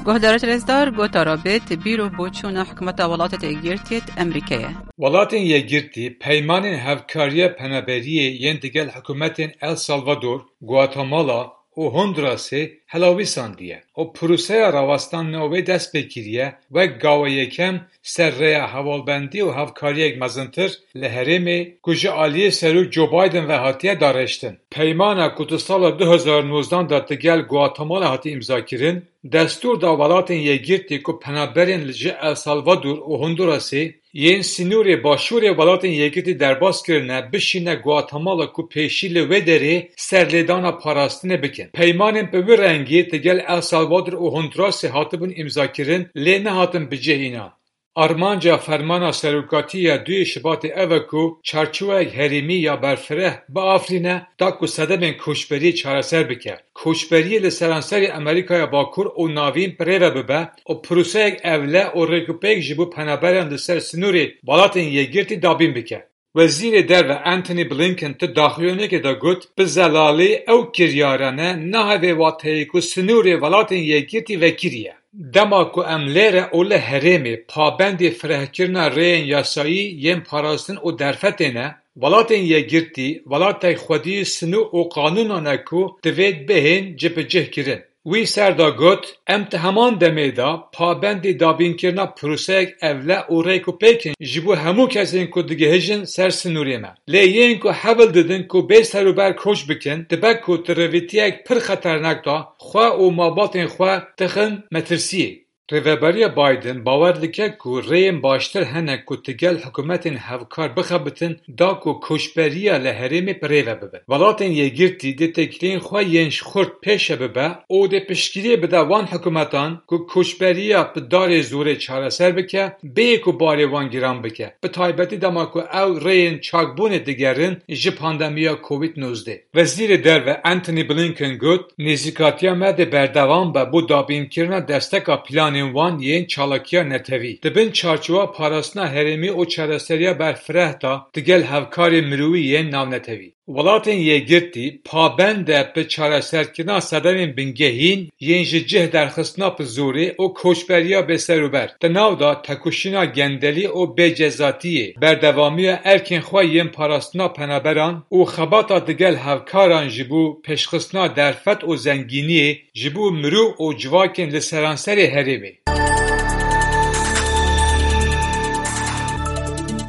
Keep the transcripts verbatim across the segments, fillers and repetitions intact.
Guhdarê rêzdar, gotara bêt bîr û boçûna hikûmeta Welatê Yekgirtiyê Amerîkayê. Welatên Yekgirtî peymanên hevkariya penaberiyê yên digel hikûmetên El Salvador, Guatemala û Hondurasê helawîsandiye û proseya rawestandina wê dest pê kiriye, wek gawa yekem ser rêya hevalbendî û hevkariyek mezintir li herêmê ku ji aliyê Serok Joe Biden ve hatiye darêştin. Peymana ku di sala du hezar nozdan de digel Guatemala hatî îmzakirin, destûr da Welatên Yekgirtî ku penaberên li ji El Salvador û Hondurasê yên sînorê başûrê Welatên Yekgirtî derbas kirine, bişîne Guatemala ku pêşî li wê derê serlêdana parastinê bikin. Peymanên bi wî rengî digel El Salvador û Hondurasê hatibûn îmzakirin, lê nehatin bicih înan. Armanca fermana serokatî ya duyê Şibatê ev e ku çarçoweyek herêmî ya berfireh biafirîne, da ku sedemên koçberiyê çareser bike. Koçberiyê li seranserê Amerîkaya Bakur û Navîn bi rê ve bibe û proseyek ewle û rêkûpêk ji bo penaberan li ser sînorê Welatên Yekgirtî dabîn bike. Wezîrê Derve Antony Blinken di daxuyaniyekê de got, bi zelalî ew kiryarane nahêve wateyê ku sînorê Welatên Yekgirtî vekirî ye. Dema ku em lêre û li herêmê pabendê firehkirina rêyên yasayî yên parastin û derfetê ne, Welatên Yekgirtî welatek xwedî sînor û qanûnan e ku divêt bihên cibicihkirin. Wî ser de got, em di heman demê de pabendî dabînkirina proseyek ewle û rêk û pêk in ji bo hemû kesên ku digihijin ser sînorê me. Lê yên ku hewl didin ku bê serûber koç bikin, dibe ku di rêvîtiyek pir xeternak de xwe û malbatên xwe dixin metirsiyê. Rêveberiya Biden bawer dike ku rêyên baştir hene ku digel hikûmetên hevkar bixebitin, da ku koçberiya li herêmê bi rê ve bibe. Welatên Yekgirtî dê têkiliyên xwe yên ji xurt pêşe bibe û dê piştgiriyê bide wan hikûmetan ku koçberiya bi darê zorê çareser bike, bêyî ku barê wan giran bike, bi taybetî dema ku ew rêyên çakbûnê digerin ji pandemiya Covid nozdeh. Wezîrê Derve Antony Blinken got, nêzîkatiya me dê berdewam be bo dabînkirina desteka planên wan yên çalakiya netewî, di bin çarçowa parastina herêmî û çareseriya berfireh de digel hevkarên mirovî yên navnetewî. Welatên Yekgirtî pabend e bi çareserkirina sedemên bingehîn yên ji cih derxistina bi zorê û koçberiya bêserûber, di nav de tekoşîna gendelî û bêcezatiyê, berdewamiya erkên xwe yên parastina penaberan û xebata digel hevkaran ji bo pêşxistina derfet û zengîniyê ji bo mirov û civakên li seranserê herêmê.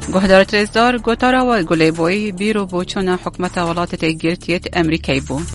Guhdarê rêzdar, gotara we guh lê bûyî bîr û boçûna hikûmeta Welatê Yekgirtiyê Amerîkayê bû.